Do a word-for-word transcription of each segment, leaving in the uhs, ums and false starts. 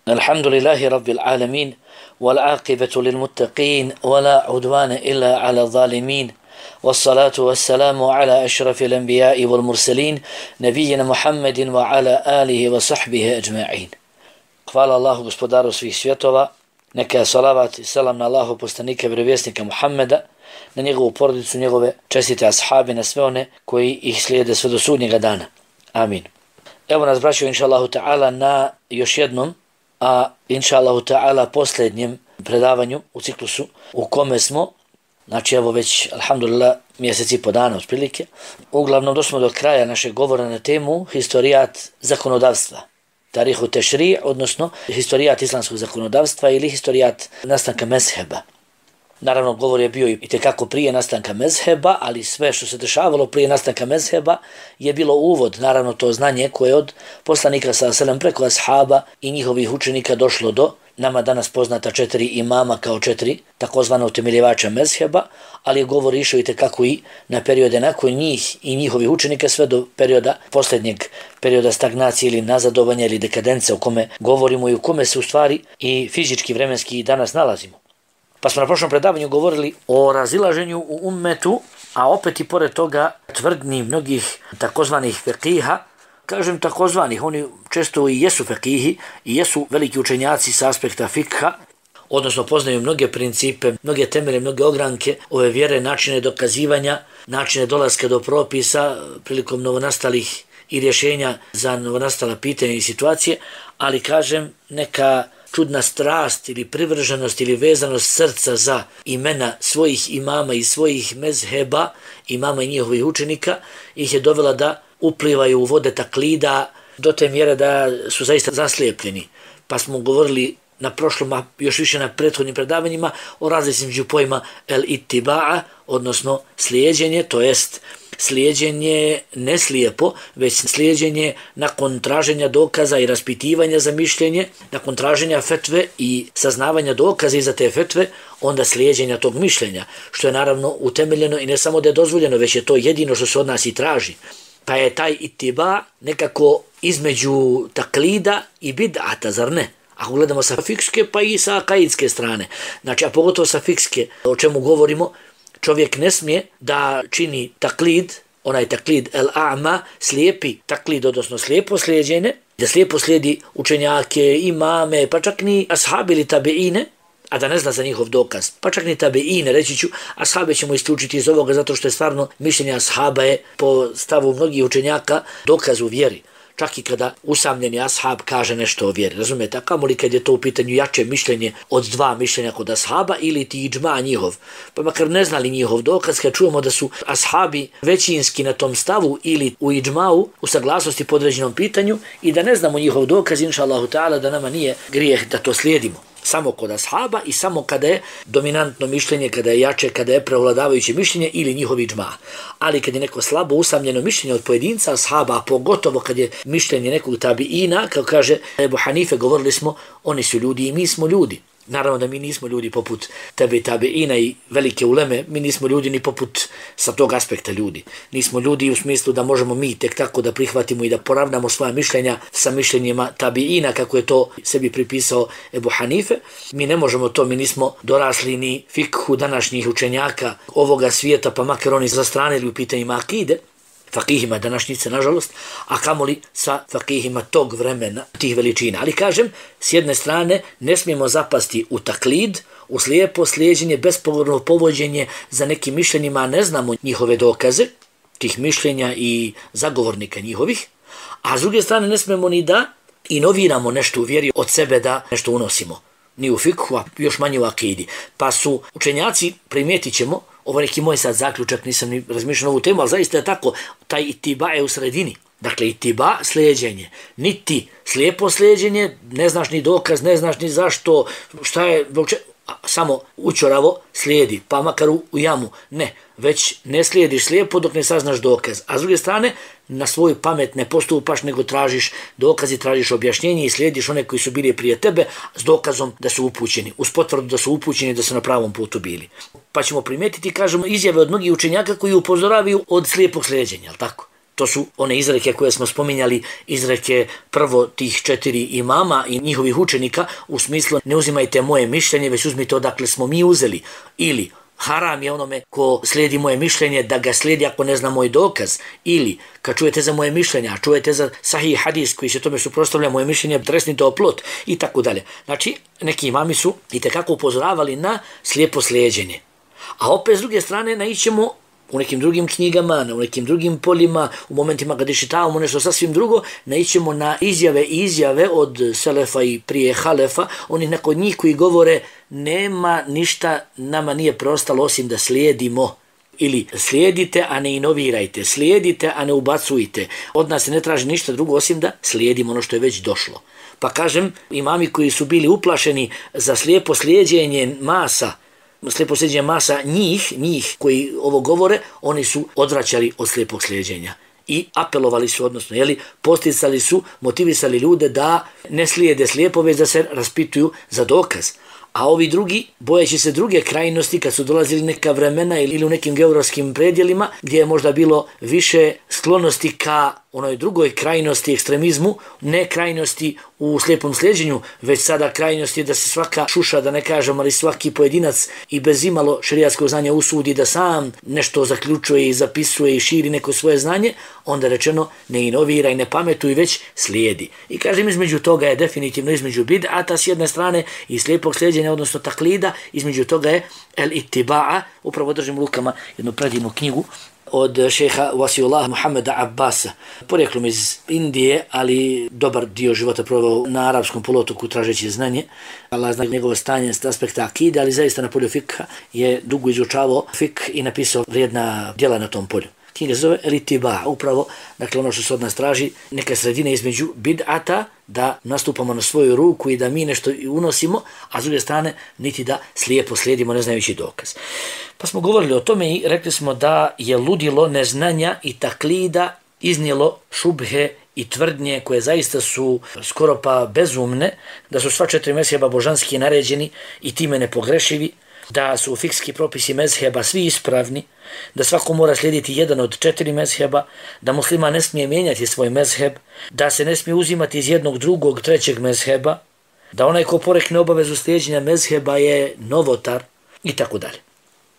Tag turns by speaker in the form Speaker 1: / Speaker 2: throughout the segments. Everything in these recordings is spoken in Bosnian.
Speaker 1: الحمد لله رب العالمين والعاقبة للمتقين ولا عدوان إلا على الظالمين والصلاة والسلام على أشرف الأنبياء والمرسلين نبينا محمد وعلى آله وصحبه أجمعين. Hvala Allahu gospodaru svih svjetova, neka salavat i salam na Allahu poslanika i vjerovjesnika Muhammeda, na njegovu porodicu, njegove čestite ashabi, na sve one koji ih slijede sve do sudnjega dana. Amin. Evo nas braćo inša Allahu ta'ala na još jednom, a inša Allahu ta'ala posljednjem predavanju u ciklusu u kome smo, znači evo već alhamdulillah mjeseci po dana otprilike, uglavnom došli do kraja našeg govora na temu historijat zakonodavstva. Tarihu tešri, odnosno historijat islamskog zakonodavstva ili historijat nastanka mezheba. Naravno, govor je bio i tekako prije nastanka mezheba, ali sve što se dešavalo prije nastanka mezheba je bilo uvod, naravno to znanje koje je od poslanika sallallahu alejhi ve sellem preko ashaba i njihovih učenika došlo do nama danas poznata četiri imama kao četiri takozvana utemeljivača mezheba, ali je govor išao i tekako i na periode nakon njih i njihovih učenika sve do perioda posljednjeg perioda stagnacije ili nazadovanja ili dekadence o kome govorimo i u kome se u stvari i fizički vremenski i danas nalazimo. Pa smo na prošlom predavanju govorili o razilaženju u ummetu, a opet i pored toga tvrdnji mnogih takozvanih fekiha. Kažem takozvanih, oni često i jesu fekihi i jesu veliki učenjaci s aspekta fikha, odnosno poznaju mnoge principe, mnoge temelje, mnoge ogranke ove vjere, načine dokazivanja, načine dolaska do propisa prilikom novonastalih i rješenja za novonastala pitanja i situacije, ali kažem neka čudna strast ili privrženost ili vezanost srca za imena svojih imama i svojih mezheba, imama i njihovih učenika, ih je dovela da uplivaju u vode taklida do te mjere da su zaista zaslijepljeni. Pa smo govorili na prošlom, a još više na prethodnim predavanjima o razlici među pojma el ittiba'a, odnosno slijeđenje, to jest slijeđenje ne slijepo, već slijeđenje nakon traženja dokaza i raspitivanja za mišljenje, nakon traženja fetve i saznavanja dokaza iza te fetve, onda slijeđenja tog mišljenja, što je naravno utemeljeno i ne samo da je dozvoljeno, već je to jedino što se od nas i traži. Pa je taj itiba nekako između taklida i bid'ata, zar ne? Ako gledamo sa fikske pa i sa akaidske strane, znači a pogotovo sa fikske, o čemu govorimo, čovjek ne smije da čini taklid, onaj taklid el-a'ma, slijepi taklid, odnosno slijepo slijeđenje, da slijepo slijedi učenjake, imame, pa čak ni ashabi ili tabeine, a da ne zna za njihov dokaz. Pa čak ni tabeine, reći ću, ashabe ćemo isključiti iz ovoga zato što je stvarno mišljenje ashaba je po stavu mnogih učenjaka dokaz u vjeri. Čak i kada usamljeni ashab kaže nešto o vjeri, razumijete, a kamoli kad je to u pitanju jače mišljenje od dva mišljenja kod ashaba ili ti iđma njihov. Pa makar ne znali njihov dokaz, kad čujemo da su ashabi većinski na tom stavu ili u iđmau, u saglasnosti po određenom pitanju i da ne znamo njihov dokaz, inša Allahu ta'ala, da nama nije grijeh da to slijedimo. Samo kod ashaba i samo kada je dominantno mišljenje, kada je jače, kada je prevladavajuće mišljenje ili njihovi džma. Ali kad je neko slabo usamljeno mišljenje od pojedinca ashaba, a pogotovo kad je mišljenje nekog tabiina, kao kaže Ebu Hanife, govorili smo, oni su ljudi i mi smo ljudi. Naravno da mi nismo ljudi poput tebe i tabeina i velike uleme, mi nismo ljudi ni poput sa tog aspekta ljudi. Nismo ljudi u smislu da možemo mi tek tako da prihvatimo i da poravnamo svoja mišljenja sa mišljenjima tabeina, kako je to sebi pripisao Ebu Hanife. Mi ne možemo to, mi nismo dorasli ni fikhu današnjih učenjaka ovoga svijeta, pa makar oni zastranili u pitanjima akide, fakihima današnjice, nažalost, a kamoli sa fakihima tog vremena, tih veličina. Ali kažem, s jedne strane, ne smijemo zapasti u taklid, u slijepo slijeđenje, bespogovorno povođenje za nekim mišljenjima, a ne znamo njihove dokaze, tih mišljenja i zagovornika njihovih, a s druge strane ne smijemo ni da inoviramo nešto u vjeri od sebe da nešto unosimo. Ni u fikhu, a još manje u akidi. Pa su učenjaci, primijetit ćemo, ovo neki moj sad zaključak, nisam ni razmišljao ovu temu, ali zaista je tako, taj itiba je u sredini. Dakle, itiba, slijeđenje. Niti slijepo slijeđenje, ne znaš ni dokaz, ne znaš ni zašto, šta je, samo učoravo slijedi, pa makar u, u jamu. Ne, već ne slijediš slijepo dok ne saznaš dokaz. A s druge strane, na svoju pamet ne postupaš, nego tražiš dokaz i tražiš objašnjenje i slijediš one koji su bili prije tebe s dokazom da su upućeni, uz potvrdu da su upućeni, da su na pravom putu bili. Pa ćemo primijetiti, kažemo, izjave od mnogih učenjaka koji upozoravaju od slijepog slijeđenja, jel tako? To su one izreke koje smo spominjali, izreke prvo tih četiri imama i njihovih učenika, u smislu ne uzimajte moje mišljenje, već uzmite odakle smo mi uzeli. Ili haram je onome ko slijedi moje mišljenje da ga slijedi ako ne zna moj dokaz. Ili kad čujete za moje mišljenje, a čujete za sahih hadis koji se tome suprotstavlja, moje mišljenje tresnite o plot i tako dalje. Znači, neki imami su itekako upozoravali na slijepo slijeđenje. A opet s druge strane naićemo u nekim drugim knjigama, u nekim drugim poljima, u momentima kad iščitavamo nešto sasvim drugo, naićemo na izjave i izjave od selefa i prije halefa, onih nakon njih koji govore nema ništa, nama nije preostalo osim da slijedimo. Ili slijedite, a ne inovirajte, slijedite, a ne ubacujte. Od nas se ne traži ništa drugo osim da slijedimo ono što je već došlo. Pa kažem, imami koji su bili uplašeni za slijepo slijeđenje masa, slijepo slijeđenje masa njih, njih koji ovo govore, oni su odvraćali od slijepog slijeđenja. I apelovali su, odnosno, jeli, posticali su, motivisali ljude da ne slijede slijepo, već da se raspituju za dokaz. A ovi drugi, bojeći se druge krajnosti, kad su dolazili neka vremena ili u nekim geografskim predjelima, gdje je možda bilo više sklonosti ka onoj drugoj krajnosti, ekstremizmu, ne krajnosti u slijepom slijeđenju, već sada krajnosti da se svaka šuša, da ne kažem, ali svaki pojedinac i bez imalo šerijatskog znanja usudi da sam nešto zaključuje i zapisuje i širi neko svoje znanje, onda rečeno ne inovira i ne pametuje, već slijedi. I kažem, između toga je definitivno između bid'ata s jedne strane i slijepog slijeđenja, odnosno taklida, između toga je el itiba'a. Upravo držim u rukama jednu predivnu knjigu od šeha Wasiullah Muhammeda Abbasa, porijeklom iz Indije, ali dobar dio života proveo na arapskom poluotoku tražeći znanje. Allah zna njegovo stanje s aspekta akide, ali zaista na polju fikha je dugo izučavao fik i napisao vrijedna djela na tom polju. Knjiga se zove El Itiba, upravo, dakle ono što se od nas traži, neka sredina između bid'ata, da nastupamo na svoju ruku i da mi nešto unosimo, a s druge strane niti da slijepo slijedimo ne znajući dokaz. Pa smo govorili o tome i rekli smo da je ludilo neznanja i taklida iznijelo šubhe i tvrdnje koje zaista su skoro pa bezumne, da su sva četiri mezheba božanski naređeni i time nepogrešivi, da su fikski propisi mezheba svi ispravni, da svako mora slijediti jedan od četiri mezheba, da muslima ne smije mijenjati svoj mezheb, da se ne smije uzimati iz jednog, drugog, trećeg mezheba, da onaj ko porekne obavezu slijeđenja mezheba je novotar i tako dalje.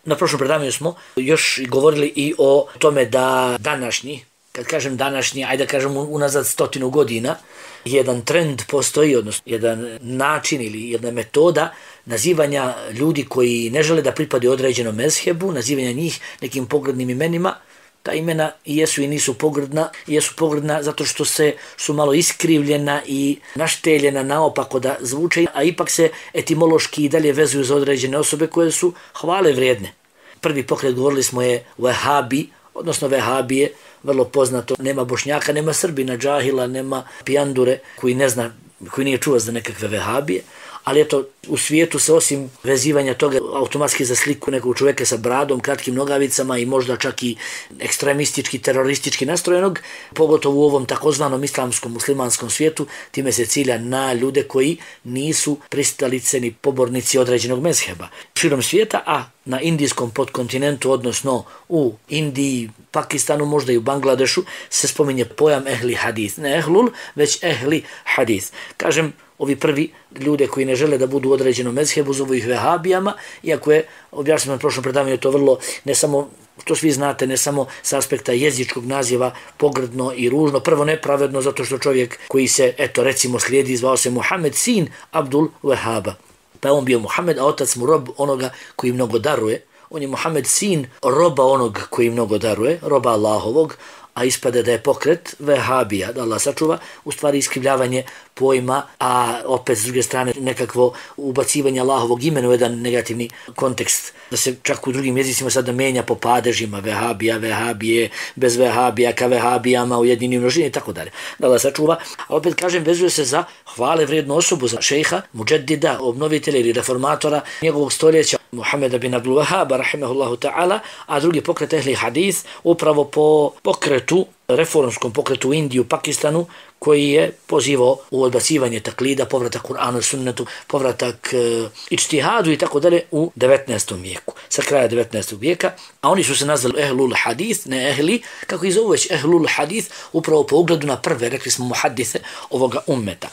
Speaker 1: Na prošlom predavanju smo još govorili i o tome da današnji, kad kažem današnji, ajde da kažem unazad stotinu godina, jedan trend postoji, odnosno jedan način ili jedna metoda nazivanja ljudi koji ne žele da pripadaju određenom mezhebu, nazivanja njih nekim pogrdnim imenima. Ta imena i jesu i nisu pogrdna, i jesu pogrdna zato što se su malo iskrivljena i našteljena naopako da zvuče, a ipak se etimološki i dalje vezuju za određene osobe koje su hvale vrijedne. Prvi pokret, govorili smo, je Vehabi, odnosno Vehabije, vrlo poznato, nema Bošnjaka, nema Srbina, džahila, nema pijandure koji ne zna, koji nije čuo za nekakve Vehabije, ali eto, u svijetu se osim vezivanja toga automatski za sliku nekog čovjeka sa bradom, kratkim nogavicama i možda čak i ekstremistički, teroristički nastrojenog, pogotovo u ovom takozvanom islamskom muslimanskom svijetu, time se cilja na ljude koji nisu pristalice ni pobornici određenog mezheba. Širom svijeta, a na indijskom podkontinentu, odnosno u Indiji, Pakistanu, možda i u Bangladešu, se spominje pojam ehli hadis. Ne ehlul, već ehli hadis. Kažem, ovi prvi ljude koji ne žele da budu u određenom mezhebu zovu ih vehabijama, iako je, objašnjeno na prošlom predavanju, to vrlo, ne samo, to svi znate, ne samo s aspekta jezičkog naziva pogrdno i ružno, prvo nepravedno zato što čovjek koji se, eto recimo slijedi, zvao se Muhammed sin Abdul Wahaba. Pa on bio Muhammed, a otac mu rob onoga koji mnogo daruje. On je Muhammed sin roba onog koji mnogo daruje, roba Allahovog, a ispade da je pokret Vehabija, da Allah sačuva, u stvari iskrivljavanje pojma, a opet s druge strane nekakvo ubacivanje Allahovog imena u jedan negativni kontekst, da se čak u drugim jezicima sada menja po padežima, Vehabija, Vehabije, bez Vehabija, ka Vehabijama, u jedinim množini i tako dalje. Da Allah sačuva, a opet kažem, vezuje se za hvale vrijednu osobu, za šejha, muđedida, obnovitelja ili reformatora njegovog stoljeća, Muhameda bin Abdul Wahhaba rahimahullahu ta'ala, a drugi pokret ehli hadis upravo po pokretu, reformskom pokretu u Indiju, Pakistanu, koji je pozivao u odbacivanje taklida, povratak Kur'anu, sunnetu, povratak e, ičtihadu i tako dalje u devetnaestom vijeku, sa kraja devetnaestog vijeka, a oni su se nazvali ehlul hadis, ne ehli, kako i zovu već ehlul hadis, upravo po ugledu na prve, rekli smo muhaddise ovoga ummeta.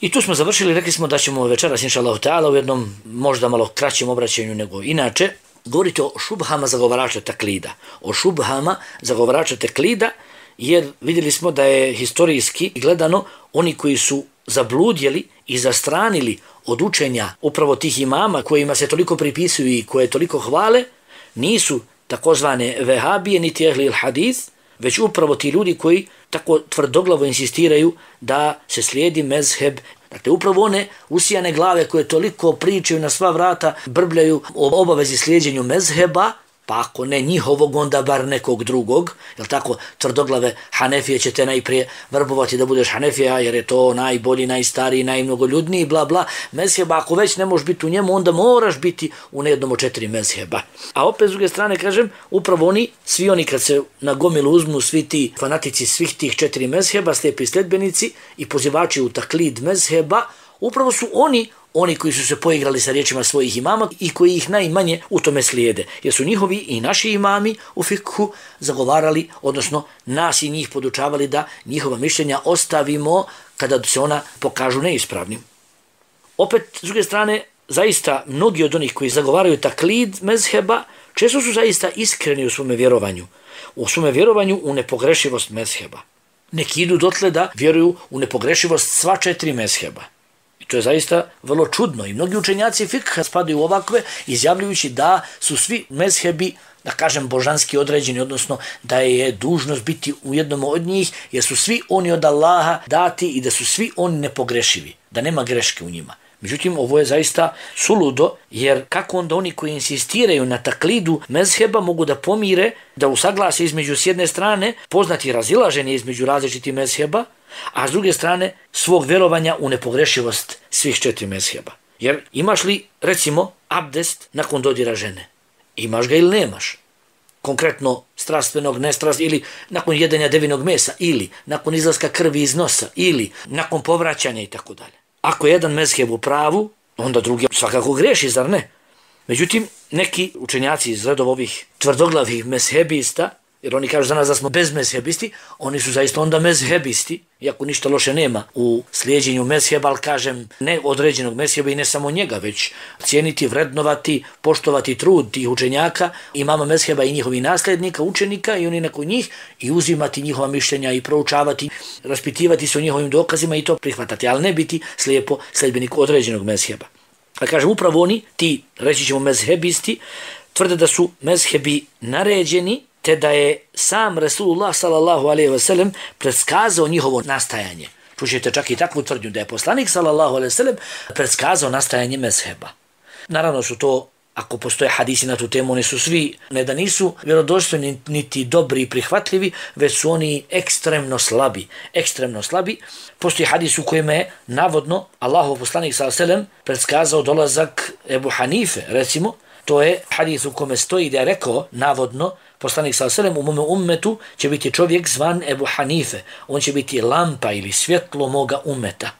Speaker 1: I tu smo završili, rekli smo da ćemo večeras, inša Allahu ta'ala, u jednom možda malo kraćem obraćanju nego inače, govoriti o šubhama zagovarača taklida. O šubhama zagovarača taklida, jer vidjeli smo da je historijski gledano oni koji su zabludjeli i zastranili od učenja upravo tih imama kojima se toliko pripisuju i koje toliko hvale, nisu takozvane vehabije niti ehli hadis, već upravo ti ljudi koji tako tvrdoglavo insistiraju da se slijedi mezheb. Dakle, upravo one usijane glave koje toliko pričaju na sva vrata, brbljaju o obavezi slijedjenju mezheba, pa ako ne njihovog, onda bar nekog drugog. Jel tako, tvrdoglave Hanefije će te najprije vrbovati da budeš Hanefija, jer je to najbolji, najstariji, najmnogoljudniji, bla bla. Mezheba, ako već ne možeš biti u njemu, onda moraš biti u nejednom od četiri mezheba. A opet s druge strane, kažem, upravo oni, svi oni kad se na gomilu uzmu, svi ti fanatici svih tih četiri mezheba, slijepi sledbenici i pozivači u taklid mezheba, upravo su oni oni koji su se poigrali sa riječima svojih imama i koji ih najmanje u tome slijede. Jer su njihovi i naši imami u fikhu zagovarali, odnosno nas i njih podučavali da njihova mišljenja ostavimo kada se ona pokažu neispravnim. Opet, s druge strane, zaista mnogi od onih koji zagovaraju taklid mezheba često su zaista iskreni u svome vjerovanju. U svome vjerovanju u nepogrešivost mezheba. Neki idu dotle da vjeruju u nepogrešivost sva četiri mezheba. To je zaista vrlo čudno i mnogi učenjaci fikha spadaju u ovakve izjavljujući da su svi mezhebi, da kažem, božanski određeni, odnosno da je dužnost biti u jednom od njih, jer su svi oni od Allaha dati i da su svi oni nepogrešivi, da nema greške u njima. Međutim, ovo je zaista suludo, jer kako onda oni koji insistiraju na taklidu mezheba mogu da pomire, da usaglase između s jedne strane poznati razilaženje između različitih mezheba, a s druge strane svog vjerovanja u nepogrešivost svih četiri mezheba. Jer imaš li, recimo, abdest nakon dodira žene? Imaš ga ili nemaš? Konkretno strastvenog, nestrast, ili nakon jedenja devinog mesa, ili nakon izlaska krvi iz nosa, ili nakon povraćanja i tako dalje. Ako je jedan mezheb u pravu, onda drugi svakako greši, zar ne? Međutim, neki učenjaci iz redova ovih tvrdoglavih mezhebista, jer oni kažu za nas da smo bezmezhebisti, oni su zaista onda mezhebisti, iako ništa loše nema u slijedjenju mezheba, ali kažem ne određenog mezheba i ne samo njega, već cijeniti, vrednovati, poštovati trud tih učenjaka, imama mezheba i njihovih nasljednika, učenika i oni nakon njih i uzimati njihova mišljenja i proučavati, raspitivati se o njihovim dokazima i to prihvatati, ali ne biti slijepo sledbenik određenog mezheba. A kažem, upravo oni, ti, reći ćemo mezhebisti, tvrde da su mezhebi naređeni, te da je sam Resulullah sallallahu alejhi ve sellem predskazao njihovo nastajanje. Čućete čak i takvu tvrdnju da je poslanik sallallahu alejhi ve sellem predskazao nastajanje mezheba. Naravno su to, ako postoje hadisi na tu temu, oni su svi, ne da nisu vjerodostojni niti dobri i prihvatljivi, već su oni ekstremno slabi. Ekstremno slabi. Postoji hadis u kojem je navodno Allahov poslanik sallallahu alejhi ve sellem predskazao dolazak Ebu Hanife, recimo. To je hadis u kome stoji da je rekao, navodno, poslanik sallallahu alejhi ve sellem, u mome ummetu će biti čovjek zvan Ebu Hanife. On će biti lampa ili svjetlo moga ummeta.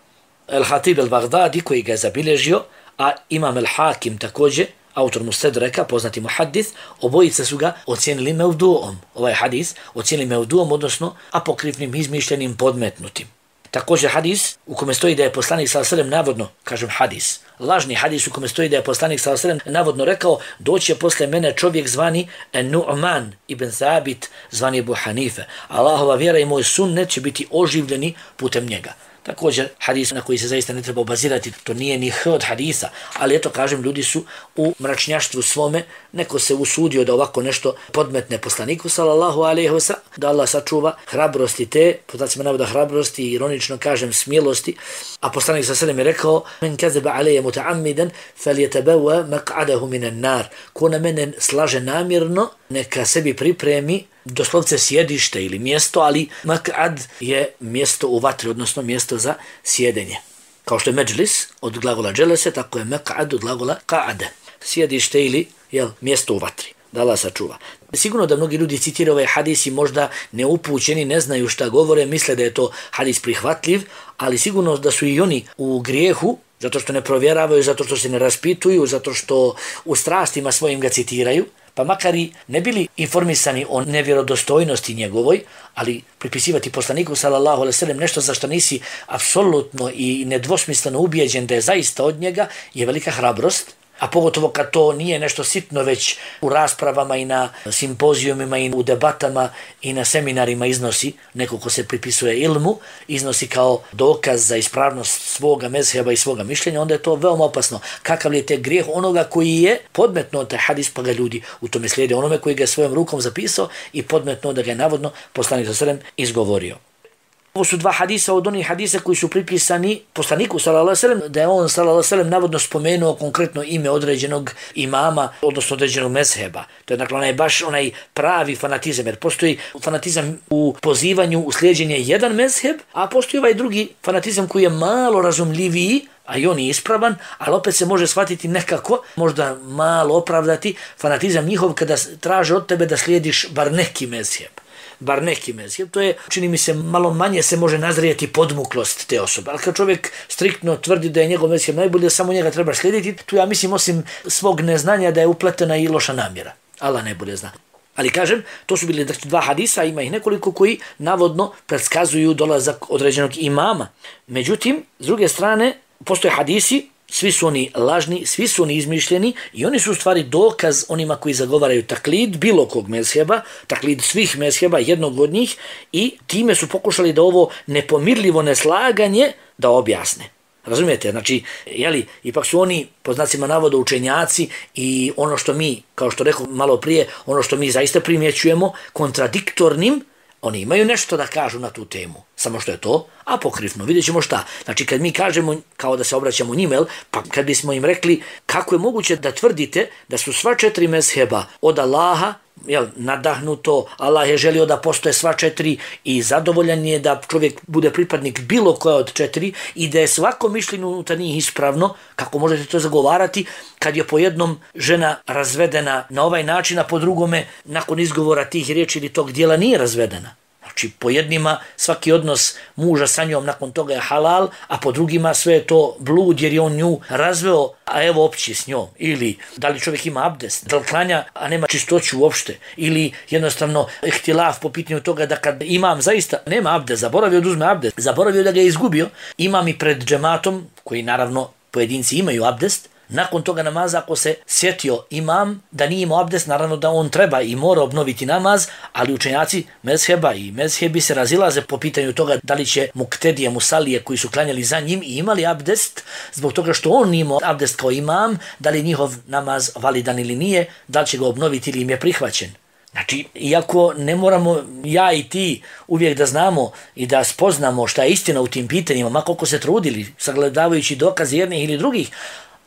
Speaker 1: El-Hatib el-Baghdadi koji ga je zabilježio, a Imam el-Hakim također, autor Mustedreka, poznati muhaddis, obojice su ga ocijenili mevduom. Ovaj hadis ocijenili mevduom, odnosno apokrifnim, izmišljenim, podmetnutim. Također hadis u kome stoji da je poslanik sallallahu alejhi ve sellem navodno, kažem hadis, lažni hadis u kome stoji da je poslanik sallallahu alejhi ve sellem navodno rekao, doće posle mene čovjek zvani Nu'man ibn Thabit, zvani Ebu Hanife. Allahova vjera i moj sunnet će biti oživljeni putem njega. Također hadis na koji se zaista ne treba obazirati, to nije ni h od hadisa, ali eto kažem, ljudi su u mračnjaštvu svome, neko se usudio da ovako nešto podmetne poslaniku sallallahu alejhi ve sellem, da Allah sačuva hrabrosti te, podacima navoda hrabrosti, ironično kažem smjelosti, a poslanik sallallahu alejhi ve sellem je rekao: "Men kazaba alayya muta'ammidan falyatabawa maq'adahu minan nar." Ko na mene slaže namjerno, neka sebi pripremi doslovce sjedište ili mjesto, ali mak'ad je mjesto u vatri, odnosno mjesto za sjedenje. Kao što je međlis od glagola dželese, tako je mak'ad od glagola qa'ade. sjedište ili jel, mjesto u vatri. Da Allah sačuva. Sigurno da mnogi ljudi citiraju ovaj hadis i možda neupućeni, ne znaju šta govore, misle da je to hadis prihvatljiv, ali sigurno da su i oni u grijehu, zato što ne provjeravaju, zato što se ne raspituju, zato što u strastima svojim ga citiraju, pa makar i ne bili informisani o nevjerodostojnosti njegovoj, ali pripisivati poslaniku sallallahu alejhi ve sellem nešto za što nisi apsolutno i nedvosmisleno ubijeđen da je zaista od njega je velika hrabrost. A pogotovo kad to nije nešto sitno, već u raspravama i na simpozijumima i u debatama i na seminarima iznosi, neko ko se pripisuje ilmu, iznosi kao dokaz za ispravnost svoga mezheba i svoga mišljenja, onda je to veoma opasno. Kakav je te grijeh onoga koji je podmetno taj hadis, pa ga ljudi u tome slijede, onome koji ga je svojom rukom zapisao i podmetno da ga je navodno poslanik sallallahu alejhi ve sellem izgovorio. Ovo su dva hadisa od onih hadisa koji su pripisani poslaniku sallallahu alejhi ve sellem, da je on sallallahu alejhi ve sellem navodno spomenuo konkretno ime određenog imama, odnosno određenog mezheba. To je dakle onaj baš onaj pravi fanatizam, jer postoji fanatizam u pozivanju u slijeđenje jedan mezheb, a postoji ovaj drugi fanatizam koji je malo razumljiviji, a i on je ispravan, ali opet se može shvatiti nekako, možda malo opravdati fanatizam njihov kada traže od tebe da slijediš bar neki mezheb. bar neki mezheb, to je, čini mi se, malo manje se može nazrijeti podmuklost te osobe. Ali kad čovjek striktno tvrdi da je njegov mezheb najbolji, da samo njega treba slijediti, tu ja mislim osim svog neznanja da je upletena i loša namjera. Allah najbolje zna. Ali kažem, to su bili dva hadisa, ima ih nekoliko koji navodno predskazuju dolazak određenog imama. Međutim, s druge strane, postoje hadisi, svi su oni lažni, svi su oni izmišljeni i oni su u stvari dokaz onima koji zagovaraju taklid bilo kog mezheba, taklid svih mezheba, jednog od njih, i time su pokušali da ovo nepomirljivo neslaganje da objasne. Razumijete? Znači, jeli, ipak su oni, po znacima navoda, učenjaci i ono što mi, kao što rekao malo prije, ono što mi zaista primjećujemo kontradiktornim, oni imaju nešto da kažu na tu temu, samo što je to apokrifno. Vidjet ćemo šta. Znači, kad mi kažemo, kao da se obraćamo njima, pa kad bismo im rekli kako je moguće da tvrdite da su sva četiri mezheba od Allaha, jel, nadahnuto, Allah je želio da postoje sva četiri i zadovoljan je da čovjek bude pripadnik bilo koja od četiri i da je svako mišljenje unutar njih ispravno, kako možete to zagovarati kad je po jednom žena razvedena na ovaj način, a po drugome nakon izgovora tih riječi ili tog dijela nije razvedena. Znači, po jednima svaki odnos muža sa njom nakon toga je halal, a po drugima sve je to blud jer je on nju razveo, a evo opći s njom. Ili da li čovjek ima abdest, da li klanja, a nema čistoću uopšte. Ili jednostavno ihtilaf po pitanju toga da kad imam zaista nema abdest, zaboravio da uzme abdest, zaboravio da ga je izgubio, imam i pred džematom, koji naravno pojedinci imaju abdest, nakon toga namaza, ako se sjetio imam da nije imao abdest, naravno da on treba i mora obnoviti namaz, ali učenjaci mezheba i mezhebi se razilaze po pitanju toga da li će muktedije, musalije koji su klanjali za njim i imali abdest, zbog toga što on nije imao abdest kao imam, da li njihov namaz validan ili nije, da li će ga obnoviti ili im je prihvaćen. Znači, iako ne moramo ja i ti uvijek da znamo i da spoznamo šta je istina u tim pitanjima, ma koliko se trudili, sagledavajući dokaze jednih ili drugih,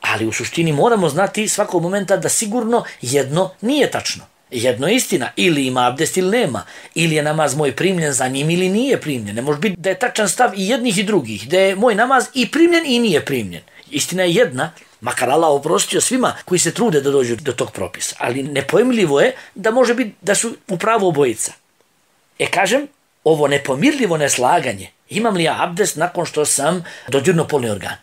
Speaker 1: ali u suštini moramo znati svakog momenta da sigurno jedno nije tačno. Jedno je istina, ili ima abdest ili nema, ili je namaz moj primljen za njim ili nije primljen. Ne može biti da je tačan stav i jednih i drugih, da je moj namaz i primljen i nije primljen. Istina je jedna, makar Allah oprostio svima koji se trude da dođu do tog propisa, ali nepojmljivo je da može biti da su upravo obojica. E kažem, ovo nepomirljivo neslaganje, imam li ja abdest nakon što sam dodirnuo polni organ?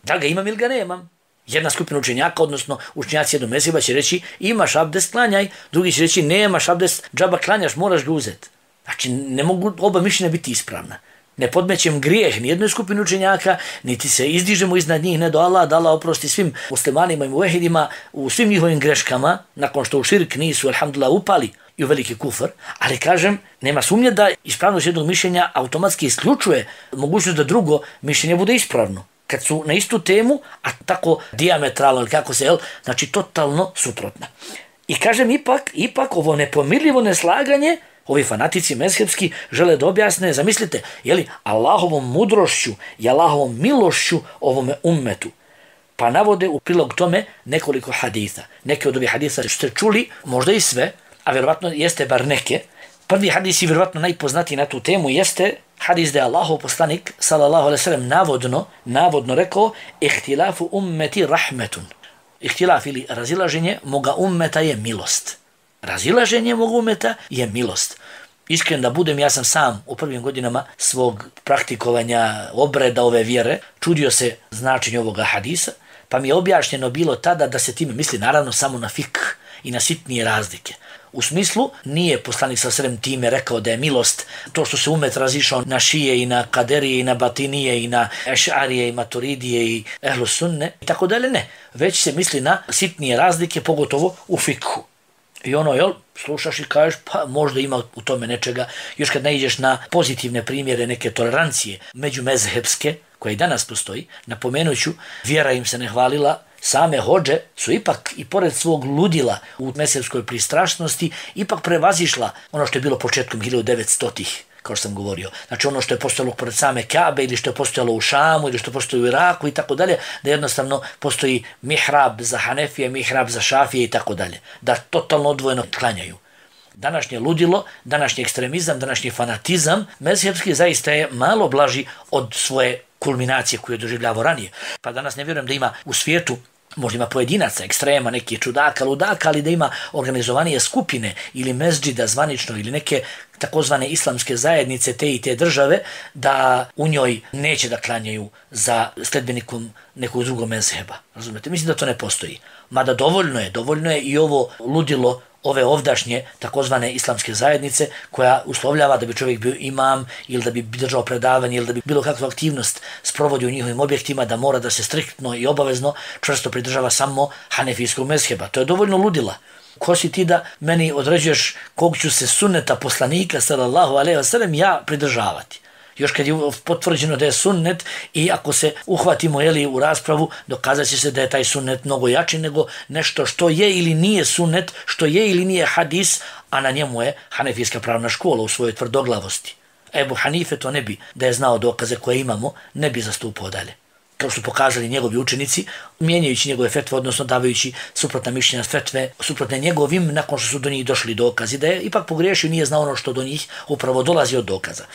Speaker 1: Da li ga imam ili ga nemam? Jedna skupina učenjaka, odnosno učenjaci jednog mezheba će reći imaš abdest, klanjaj, drugi će reći nemaš abdest, džaba klanjaš, moraš ga uzeti. Znači ne mogu oba mišljenja biti ispravna. Ne podmećem grijeh ni jednoj skupini učenjaka, niti se izdižemo iznad njih, ne do Allah, da Allah oprosti svim muslimanima i muvehidima u svim njihovim greškama, nakon što u širk nisu, alhamdulillah, upali i u veliki kufr, ali kažem, nema sumnje da ispravnost jednog mišljenja automatski isključuje mogućnost da drugo mišljenje bude ispravno. Kad su na istu temu, a tako diametralno, ili kako se, jel, znači totalno suprotna. I kažem, ipak, ipak ovo nepomirljivo neslaganje, ovi fanatici mezhebski žele da objasne, zamislite, jeli, Allahovom mudrošću i Allahovom milošću ovome ummetu. Pa navode u prilog tome nekoliko haditha. Neke od ovih haditha ste čuli, možda i sve, a vjerovatno jeste bar neke. Prvi hadis i vjerovatno najpoznatiji na tu temu jeste hadis da je Allahov poslanik sallallahu alejhi ve sellem navodno, navodno rekao ihtilafu ummeti rahmetun. ihtilaf ili razilaženje moga ummeta je milost. Razilaženje moga ummeta je milost. Iskren da budem, ja sam sam u prvim godinama svog praktikovanja obreda ove vjere čudio se značenje ovoga hadisa, pa mi je objašnjeno bilo tada da se time misli naravno samo na fik i na sitnije razlike. U smislu, nije poslanik sa srem time rekao da je milost to što se umet razišao na šije i na kaderije i na batinije i na ešarije i maturidije i ehlu sunne i tako dalje, ne. Već se misli na sitnije razlike, pogotovo u fikhu. I ono, jel, slušaš i kažeš, pa možda ima u tome nečega. Još kad naiđeš na pozitivne primjere neke tolerancije međumezhebske, koja i danas postoji, napomenuću, vjera im se ne hvalila, same hodže su ipak i pored svog ludila u mezhebskoj pristrašnosti ipak prevazišla ono što je bilo početkom hiljadu devetstotih, kao što sam govorio. Znači ono što je postojalo pored same Kabe ili što je postojalo u Šamu ili što postoji u Iraku i tako dalje, da jednostavno postoji mihrab za Hanefije, mihrab za Šafije i tako dalje. Da totalno odvojeno klanjaju. Današnje ludilo, današnji ekstremizam, današnji fanatizam mezhebski zaista je malo blaži od svoje kulminacije koju je doživljavao ranije. Pa danas ne vjerujem da ima u svijetu, možda ima pojedinaca, ekstrema, neki čudaka, ludaka, ali da ima organizovanije skupine ili mezđida zvanično ili neke takozvane islamske zajednice te i te države, da u njoj neće da klanjaju za sledbenikom nekog drugog mezheba. Razumete? Mislim da to ne postoji. Mada dovoljno je, dovoljno je i ovo ludilo ove ovdašnje takozvane islamske zajednice koja uslovljava da bi čovjek bio imam ili da bi držao predavanje ili da bi bilo kakvu aktivnost sprovodi u njihovim objektima, da mora da se striktno i obavezno čvrsto pridržava samo hanefijskog mezheba. To je dovoljno ludila. Ko si ti da meni određuješ kog ću se sunneta poslanika sallallahu alejhi ve sellem ja pridržavati? Još kad je potvrđeno da je sunnet i ako se uhvatimo jeli, u raspravu, dokazat će se da je taj sunnet mnogo jači nego nešto što je ili nije sunnet, što je ili nije hadis, a na njemu je hanefijska pravna škola u svojoj tvrdoglavosti. Ebu Hanife to ne bi, da je znao dokaze koje imamo, ne bi zastupao dalje. Kao su pokazali njegovi učenici, mijenjajući njegove fetve, odnosno davajući suprotna mišljenja fetve, suprotne njegovim, nakon što su do njih došli dokazi, da je ipak pogriješio, nije znao ono što do njih upravo dolazi od dokaza.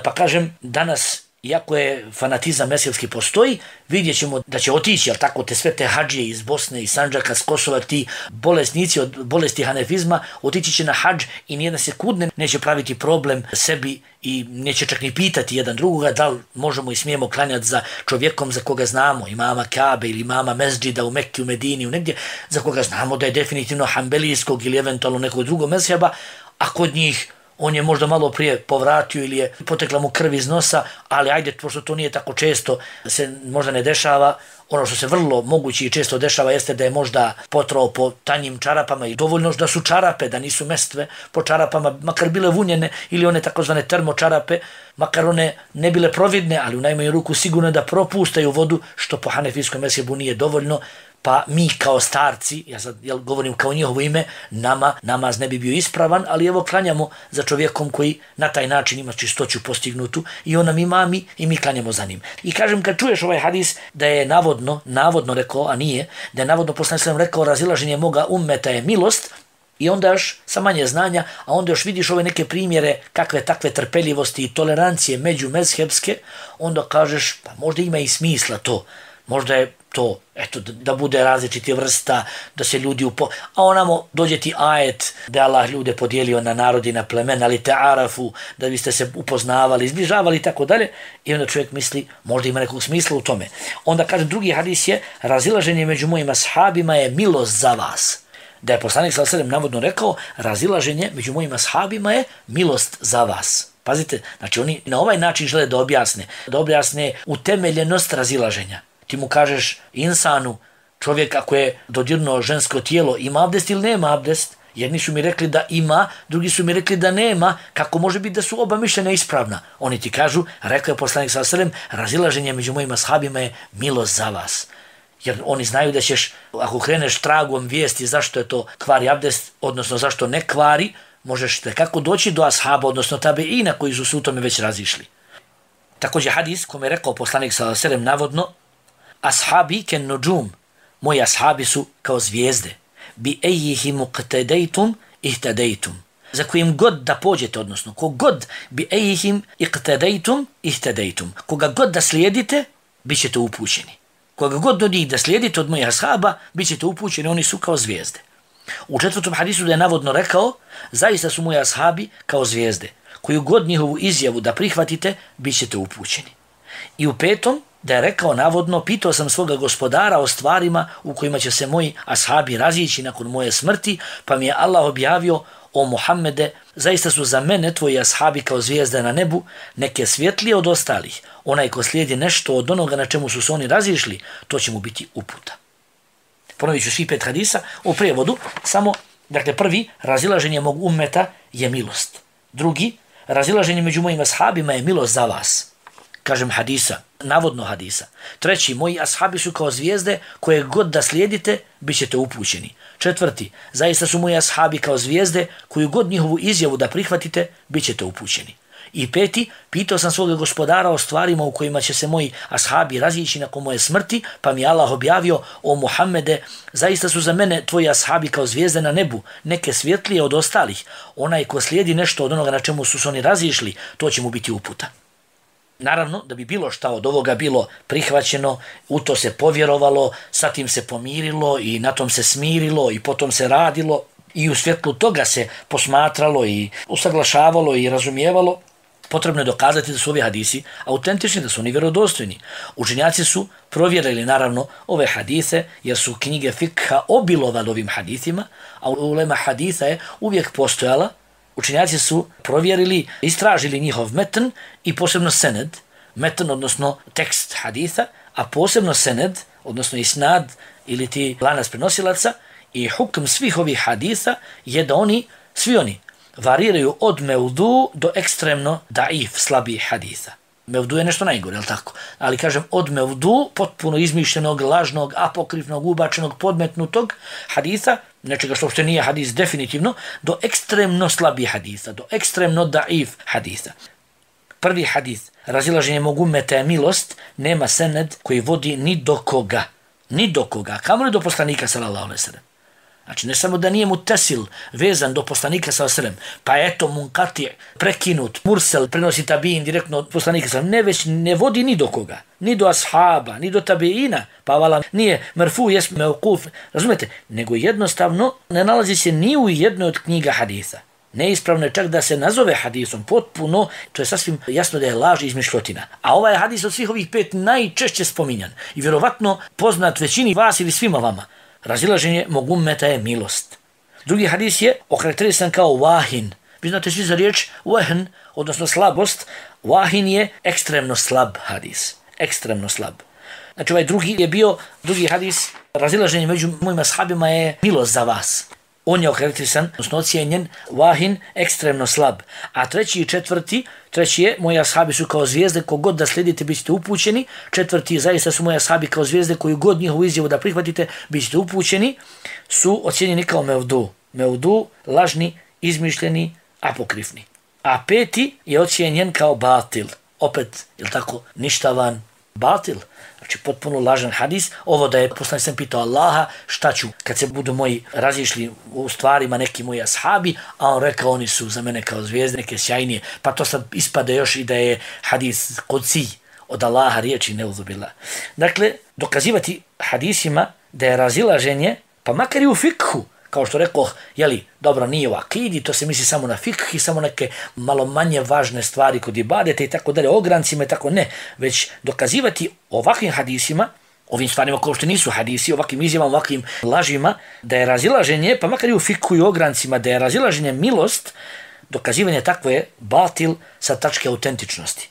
Speaker 1: Pa kažem, danas, iako je fanatizam mezhebski postoji, vidjet ćemo da će otići, jel tako, te sve te hadžije iz Bosne i Sandžaka, s Kosova, ti bolesnici od bolesti hanefizma, otići će na hadž i nijedna sekundne neće praviti problem sebi i neće čak ni pitati jedan drugoga da li možemo i smijemo klanjati za čovjekom za koga znamo, imama Kabe ili imama mezđida u Mekki, u Medini, u negdje, za koga znamo da je definitivno hanbelijskog ili eventualno nekog drugog mezheba, a kod njih on je možda malo prije povratio ili je potekla mu krv iz nosa, ali ajde, pošto to nije tako često, se možda ne dešava. Ono što se vrlo moguće i često dešava jeste da je možda potrao po tanjim čarapama i dovoljno da su čarape, da nisu mestve po čarapama, makar bile vunjene ili one takozvane termočarape, makar one ne bile providne, ali u najmanju ruku sigurno da propustaju vodu, što po hanefijskom mezhebu nije dovoljno. Pa mi kao starci, ja sad jel, govorim kao njihovo ime, nama namaz ne bi bio ispravan, ali evo klanjamo za čovjekom koji na taj način ima čistoću postignutu i on nam imami i mi klanjamo za njim. I kažem, kad čuješ ovaj hadis da je navodno, navodno rekao, a nije, da je navodno poslanik sallallahu alejhi ve sellem rekao razilaženje moga ummeta je milost, i onda još sa manje znanja, a onda još vidiš ove neke primjere kakve takve trpeljivosti i tolerancije među mezhebske, onda kažeš, pa možda ima i smisla to, možda je to, eto, da bude različiti vrsta, da se ljudi upo... A onamo dođe ti ajet da je Allah ljude podijelio na narodi, na plemena, ali te arafu, da biste se upoznavali, izbližavali i tako dalje. I onda čovjek misli, možda ima nekog smisla u tome. Onda kaže, drugi hadis je, razilaženje među mojim ashabima je milost za vas. Da je poslanik sallallahu alejhi ve sellem navodno rekao, razilaženje među mojim ashabima je milost za vas. Pazite, znači oni na ovaj način žele da objasne, da objasne utemeljenost razilaženja. Ti mu kažeš insanu, čovjek ako je dodirnuo žensko tijelo, ima abdest ili nema abdest? Jedni su mi rekli da ima, drugi su mi rekli da nema, kako može biti da su oba mišljenja ispravna? Oni ti kažu, rekao je poslanik sallallahu alejhi ve sellem, razilaženje među mojim ashabima je milost za vas. Jer oni znaju da ćeš, ako kreneš tragom vijesti zašto je to kvari abdest, odnosno zašto ne kvari, možeš kako doći do ashaba, odnosno tabeina koji su se u tome već razišli. Također hadis kome je rekao poslanik sallallahu alejhi ve sellem navodno, ashabi ken nujum, moji ashabi su kao zvijezde, bi ejihim iqtadaytum ihtadaytum. Za kojim god da pođete, odnosno kogod bi ejihim iqtadaytum ihtadaytum. Koga god da slijedite, bit ćete upućeni. koga god od njih da slijedite od mojih ashaba, bit ćete upućeni, oni su kao zvijezde. U četvrtom hadisu da je navodno rekao, zaista su moji ashabi kao zvijezde, koju god njihovu izjavu da prihvatite, bit ćete upućeni. I u petom da je rekao navodno, pitao sam svoga gospodara o stvarima u kojima će se moji ashabi razići nakon moje smrti, pa mi je Allah objavio, o Muhammede, zaista su za mene tvoji ashabi kao zvijezde na nebu, neke svjetlije od ostalih. Onaj ko slijedi nešto od onoga na čemu su se oni razišli, to će mu biti uputa. Ponovit ću svi pet hadisa u prijevodu, samo, dakle, prvi, razilaženje mog ummeta je milost. Drugi, razilaženje među mojim ashabima je milost za vas. Kažem hadisa, navodno hadisa. Treći, moji ashabi su kao zvijezde koje god da slijedite, bit ćete upućeni. Četvrti, zaista su moji ashabi kao zvijezde koju god njihovu izjavu da prihvatite, bit ćete upućeni. I peti, pitao sam svoga gospodara o stvarima u kojima će se moji ashabi razići nakon moje smrti, pa mi Allah objavio, o Muhammede, zaista su za mene tvoji ashabi kao zvijezde na nebu, neke svjetlije od ostalih. Onaj ko slijedi nešto od onoga na čemu su se oni razišli, to će mu biti uputa. Naravno, da bi bilo šta od ovoga bilo prihvaćeno, u to se povjerovalo, sa tim se pomirilo i na tom se smirilo i potom se radilo i u svjetlu toga se posmatralo i usaglašavalo i razumijevalo, potrebno je dokazati da su ovi hadisi autentični, da su oni vjerodostojni. Učenjaci su provjerili naravno ove hadise jer su knjige fikha obilovali ovim hadisima, a ulema hadisa je uvijek postojala. Učenjaci su provjerili, istražili njihov metn i posebno sened, metn odnosno tekst haditha, a posebno sened, odnosno isnad ili ti lanac prenosilaca, i hukm svih ovih haditha je da oni, svi oni, variraju od mevdu do ekstremno daif, slabih haditha. Mevdu je nešto najgore, je li tako? Ali kažem, od mevdu, potpuno izmišljenog, lažnog, apokrifnog, ubačenog, podmetnutog haditha, nečega što uopšte nije hadis definitivno, do ekstremno slabih haditha, do ekstremno daif haditha. Prvi hadith, razilaženje mog ummeta je milost, nema sened koji vodi ni do koga, ni do koga, kamo li do poslanika sallallahu alejhi ve sellem. Znači, ne samo da nije mutesil vezan do poslanika sallallahu alejhi ve sellem, pa eto munkati prekinut, mursel prenosi tabiin direktno od poslanika sallallahu alejhi ve sellem, ne već ne vodi ni do koga, ni do ashaba, ni do tabiina, pa vala nije merfu, jes mevkuf, razumete, nego jednostavno ne nalazi se ni u jednoj od knjiga haditha. Neispravno je čak da se nazove hadisom potpuno, to je sasvim jasno da je laž i izmišljotina. A ovaj hadis od svih ovih pet najčešće spominjan i vjerovatno poznat većini vas ili svima vama. Razilaženje mog ummeta je milost. Drugi hadis je okarakterisan kao wahin. Vi znate svi za riječ wahn, odnosno slabost. Wahin je ekstremno slab hadis. Ekstremno slab. Znači ovaj drugi je bio, drugi hadis, razilaženje među mojim ashabima je milost za vas. On je okarakterisan, odnosno ocijenjen, wahin, ekstremno slab. A treći i četvrti, treći je, moji ashabi su kao zvijezde, kogod da slijedite, bit ćete upućeni. Četvrti, zaista su moji ashabi kao zvijezde, koju god njihovu izjavu da prihvatite, bit ćete upućeni, su ocijenjeni kao mevdu. Mevdu, lažni, izmišljeni, apokrifni. A peti je ocijenjen kao batil. Opet, je li tako, ništavan batil. Znači, potpuno lažan hadis. Ovo da je poslanik sam pitao Allaha šta ću kad se budu moji razišli u stvarima neki moji ashabi, a on rekao oni su za mene kao zvijezde, neke sjajnije. Pa to sad ispade još i da je hadis kodsi od Allaha riječi, neuzubila. Dakle, dokazivati hadisima da je razilaženje, pa makar i u fikhu, kao što rekao, jeli, dobro, nije u akidi, to se misli samo na fikh i samo neke malo manje važne stvari kod ibadete i tako dalje, ograncima i tako ne, već dokazivati ovakvim hadisima, ovim stvarima kao što nisu hadisi, ovakvim izjavama, ovakvim lažima, da je razilaženje, pa makar i u fikhu i ograncima, da je razilaženje milost, dokazivanje takvo je batil sa tačke autentičnosti.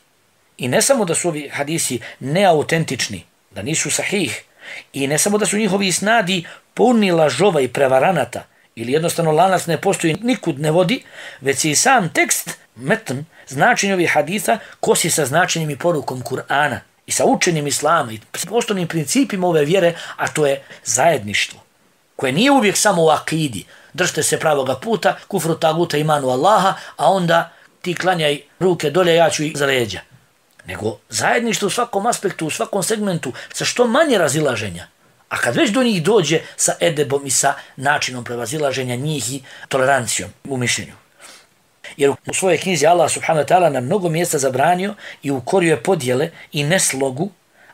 Speaker 1: I ne samo da su ovi hadisi neautentični, da nisu sahih, i ne samo da su njihovi isnadi puni lažova i prevaranata, ili jednostavno lanac ne postoji, nikud ne vodi, već i sam tekst, metn, značenje ovih haditha, kosi sa značenjem i porukom Kur'ana i sa učenjem Islama i osnovnim principima ove vjere, a to je zajedništvo, koje nije uvijek samo u akidi. Držite se pravoga puta, kufru taguta, imanu Allaha, a onda ti klanjaj ruke dolje, ja ću i za leđa. Nego zajedništvo u svakom aspektu, u svakom segmentu, sa što manje razilaženja. A kad već do njih dođe sa edebom i sa načinom prevazilaženja njih i tolerancijom u mišljenju. Jer u svojoj knjizi Allah subhanahu wa ta'ala na mnogo mjesta zabranio i ukorio je podjele i neslogu,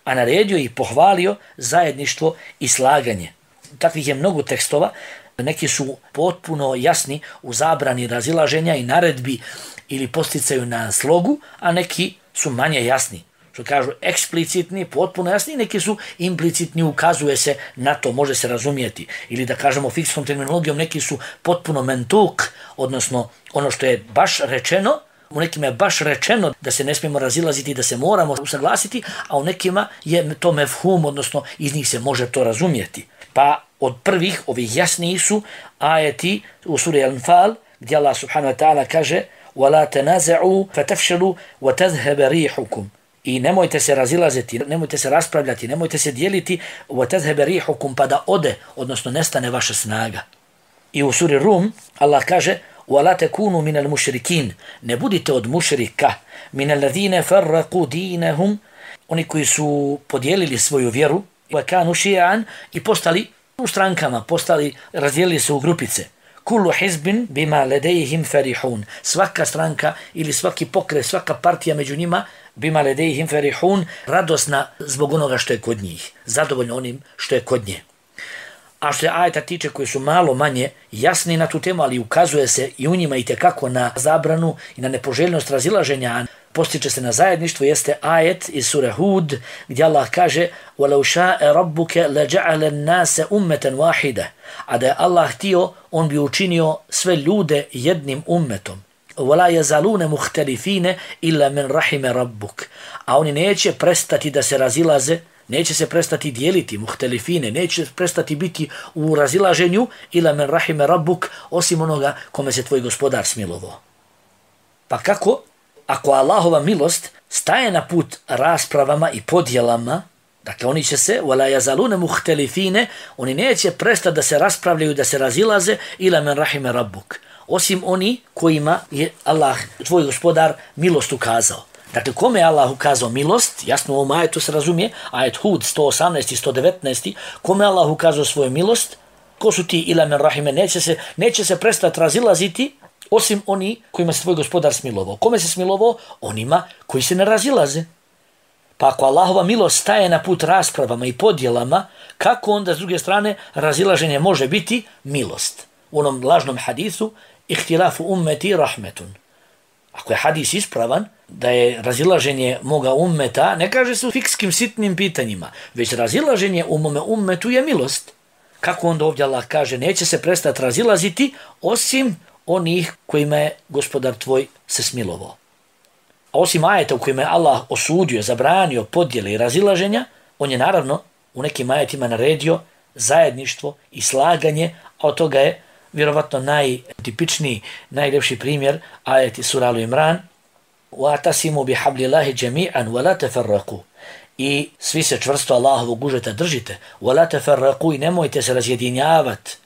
Speaker 1: a naredio i pohvalio zajedništvo i slaganje. Takvih je mnogo tekstova, neki su potpuno jasni u zabrani razilaženja i naredbi ili posticaju na slogu, a neki su manje jasni. Što kažu eksplicitni, potpuno jasni, neki su implicitni, ukazuje se na to, može se razumijeti. Ili da kažemo fikskom terminologijom, neki su potpuno mentuk, odnosno ono što je baš rečeno, u nekima je baš rečeno da se ne smijemo razilaziti, da se moramo usaglasiti, a u nekima je to mefhum, odnosno iz njih se može to razumijeti. Pa od prvih ovih jasnijih su ajeti u suri Al-Anfal, gdje Allah subhanahu wa ta'ala kaže وَلَا تَنَازَعُوا فَتَفْشَلُوا وَتَذْهَبَ رِيحُكُمْ. I nemojte se razilaziti, nemojte se raspravljati, nemojte se dijeliti وَتَذْهَبَ رِيحُكُمْ, pa da ode, odnosno nestane vaša snaga. I u suri Rum Allah kaže وَلَا تَكُونُوا مِنَ الْمُشْرِكِينَ. Ne budite od mušrika. مِنَ الَّذِينَ فَرَّقُوا دِينَهُمْ. Oni koji su podijelili svoju vjeru وَكَانُوا شِيَعًا i postali u strankama, postali, razdijelili se u grupice. Kullu hizbin bima ledejhim farihun. Svaka stranka ili svaki pokret, svaka partija među njima bima ledejhim farihun, radosna zbog onoga što je kod njih, zadovoljno onim što je kod nje. A što je ajeta tiče koji su malo manje jasni na tu temu, ali ukazuje se i u njima i tekako na zabranu i na nepoželjnost razilaženja, postiče se na zajedništvo, jeste ajet iz sure Hud, gdje Allah kaže وَلَوْ شَاءَ رَبُّكَ لَجَعَلَ النَّاسَ أُمَّةً وَاحِدًا. A da je Allah htio, on bi učinio sve ljude jednim ummetom. وَلَا يَزَالُونَ مُخْتَلِفِينَ إِلَّا مِنْ رَحِمَ رَبُّكَ. A oni neće prestati da se razilaze, neće se prestati dijeliti, muhtelifine, neće prestati biti u razilaženju, ila men rahime rabbuk, osim onoga kome se tvoj gospodar smilovao. Pa kako? Ako Allahova milost staje na put raspravama i podjelama, dakle oni će se, wala yazaluna muhtelifine, oni neće prestati da se raspravljaju, da se razilaze, ila men rahime rabbuk, osim oni kojima je Allah, tvoj gospodar, milost ukazao. Dakle, kome je Allah ukazao milost, jasno u ovom ajetu se razumije, ajet Hud sto osamnaest i sto devetnaest, kome je Allah ukazao svoju milost, ko su ti ila men rahime, neće se, neće se prestati razilaziti, osim oni kojima se tvoj gospodar smilovao. Kome se smilovao? Onima koji se ne razilaze. Pa ako Allahova milost staje na put raspravama i podjelama, kako onda s druge strane razilaženje može biti milost? U onom lažnom hadisu, ihtilafu ummeti rahmetun. Ako je hadis ispravan, da je razilaženje moga ummeta, ne kaže se u fikskim sitnim pitanjima, već razilaženje u mome ummetu je milost. Kako onda ovdje Allah kaže, neće se prestati razilaziti, osim onih kojima je gospodar tvoj se smilovao. A osim ajeta u kojima je Allah osudio, zabranio podjele i razilaženja, on je naravno u nekim ajetima naredio zajedništvo i slaganje, a od toga je vjerovatno najtipičniji, najljepši primjer ajeti sura Al-Imran وَاتَسِمُوا بِحَبْلِ اللَّهِ جَمِيعًا وَلَا تَفَرَّقُوا. I svi se čvrsto Allahovog užeta držite. وَلَا تَفَرَّقُوا. I nemojte se razjedinjavati.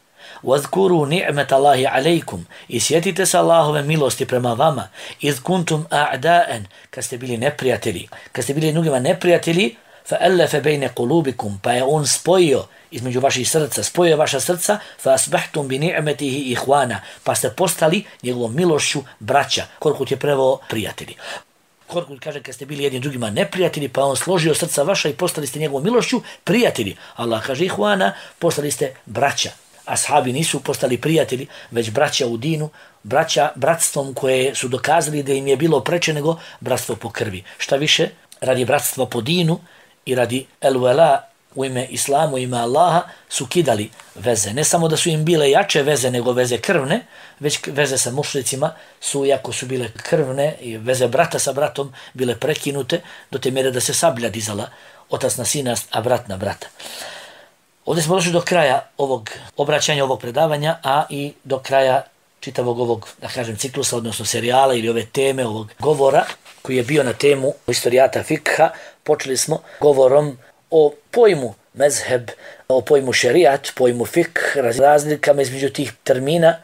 Speaker 1: وَذْكُرُوا نِعْمَةَ اللَّهِ عَلَيْكُمْ. I sjetite se Allahove milosti prema vama. إِذْ كُنْتُمْ أَعْدَاءً. Kad ste bili neprijatelji. Kad ste bili drugima neprijatelji, فَأَلَّفَ بَيْنَ قُلُوبِكُمْ. Pa je on spojio između vaših srca, spojio vaša srca, فَأَسْبَحْتُمْ بِنِعْمَتِهِ إِخْوَانًا. Pa ste postali njegovom milošću braća. Korkut je preveo prijatelji. Korkut kaže kad ste bili jedni drugima neprijatelji, pa on složio srca vaša i postali ste njegovom milošću prijatelji. Allah kaže ihvana, postali ste braća. Ashabi nisu postali prijatelji, već braća u dinu, braća bratstvom koje su dokazali da im je bilo preče nego bratstvo po krvi. Šta više, radi bratstva po dinu i radi el-wala u ime Islamu, u ime Allaha, su kidali veze. Ne samo da su im bile jače veze nego veze krvne, već veze sa mušricima su, iako su bile krvne i veze brata sa bratom, bile prekinute do te mjere da se sablja dizala otac na sina, a brat na brata. Ovdje smo došli do kraja ovog obraćanja, ovog predavanja, a i do kraja čitavog ovog, da kažem, ciklusa, odnosno serijala ili ove teme, ovog govora koji je bio na temu historijata fikha. Počeli smo govorom o pojmu mezheb, o pojmu šerijat, pojmu fikh, razlikama između tih termina,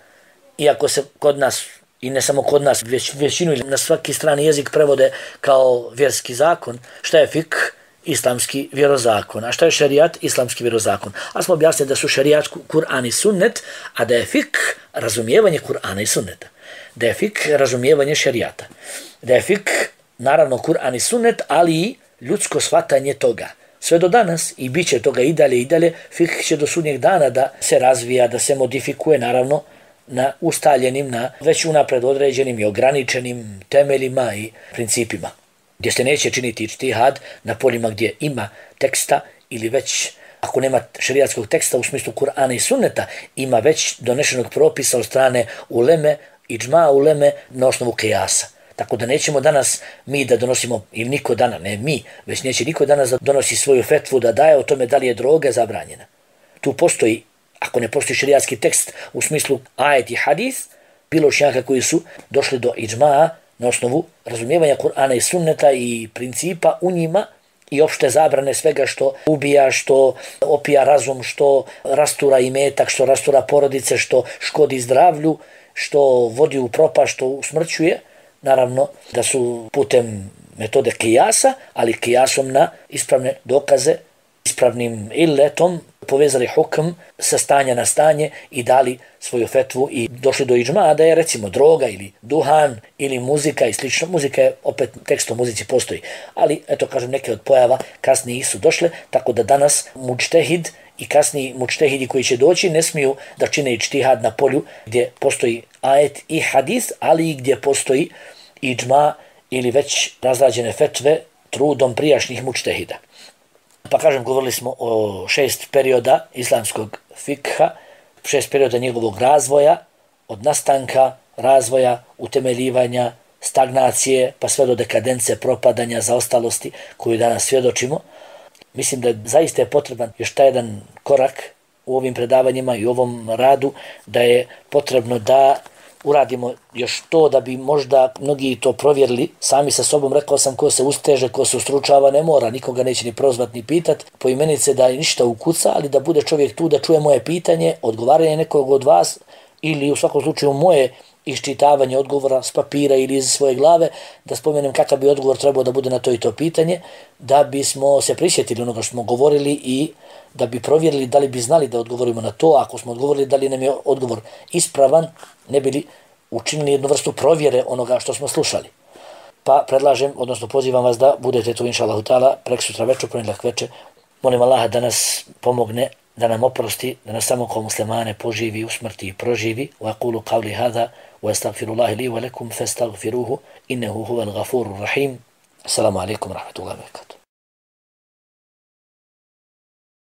Speaker 1: iako se kod nas, i ne samo kod nas, već većinu na svaki strani jezik prevode kao vjerski zakon. Šta je fikh? Islamski vjerozakon. A šta je šerijat? Islamski vjerozakon. A smo objasnili da su šerijat Kur'an i sunnet, a da je fikh razumijevanje Kur'ana i sunneta. Da je fikh razumijevanje šerijata. Da je fikh, naravno, Kur'an i sunnet, ali i ljudsko shvatanje toga. sve do danas i bit će toga i dalje i dalje. Fikh će do sudnjeg dana da se razvija, da se modifikuje, naravno, na ustaljenim, na već unapred određenim i ograničenim temeljima i principima. Gdje se neće činiti ičtihad na poljima gdje ima teksta ili već, ako nema šerijatskog teksta u smislu Kur'ana i Sunneta, ima već donešenog propisa od strane uleme, iđma uleme na osnovu kijasa. Tako da nećemo danas mi da donosimo, ili niko dana, ne mi, već neće niko danas da donosi svoju fetvu, da daje o tome da li je droga zabranjena. Tu postoji, ako ne postoji šerijatski tekst u smislu ajet i hadis, bilo učenjaka koji su došli do iđma na osnovu razumijevanja Kur'ana i Sunneta i principa u njima i opšte zabrane svega što ubija, što opija razum, što rastura imetak, što rastura porodice, što škodi zdravlju, što vodi u propast, što usmrćuje. Naravno da su putem metode kijasa, ali kijasom na ispravne dokaze, ispravnim illetom povezali hukm sa stanja na stanje i dali svoju fetvu i došli do iđma da je recimo droga ili duhan ili muzika i slično. Muzika je opet, tekst o muzici postoji, ali eto kažem neke od pojava kasnije su došle, tako da danas mučtehid i kasniji mučtehidi koji će doći ne smiju da čine ičtihad na polju gdje postoji ajet i hadis, ali i gdje postoji iđma ili već razrađene fetve trudom prijašnjih mučtehida. Pa kažem, govorili smo o šest perioda islamskog fikha, šest perioda njegovog razvoja, od nastanka, razvoja, utemeljivanja, stagnacije, pa sve do dekadence, propadanja, zaostalosti koju danas svjedočimo. Mislim da zaista je potreban još taj jedan korak u ovim predavanjima i u ovom radu, da je potrebno da uradimo još to da bi možda mnogi to provjerili sami sa sobom. Rekao sam, ko se usteže, ko se ustručava ne mora, nikoga neće ni prozvat ni pitat po imenice da je ništa ukuca, ali da bude čovjek tu da čuje moje pitanje, odgovaranje nekog od vas ili u svakom slučaju moje iščitavanje odgovora s papira ili iz svoje glave, da spomenem kakav bi odgovor trebao da bude na to i to pitanje, da bismo se prisjetili onoga što smo govorili i da bi provjerili da li bi znali da odgovorimo na to. Ako smo odgovorili da li nam je odgovor ispravan, ne bi li učinili jednu vrstu provjere onoga što smo slušali. Pa predlažem, odnosno pozivam vas da budete tu inša Allahu ta'ala prek sutra večer, ponedjeljak večer. Molim Allaha da nas pomogne, da nam oprosti, da nas samo kao muslimane poživi, usmrti i proživi. Wa aqulu qawli hadha wa astaghfirullahi li wa lakum fastaghfiruhu innahu huwal ghafurur rahim. Assalamu alaikum wa rahmatullahi wa barakatuh.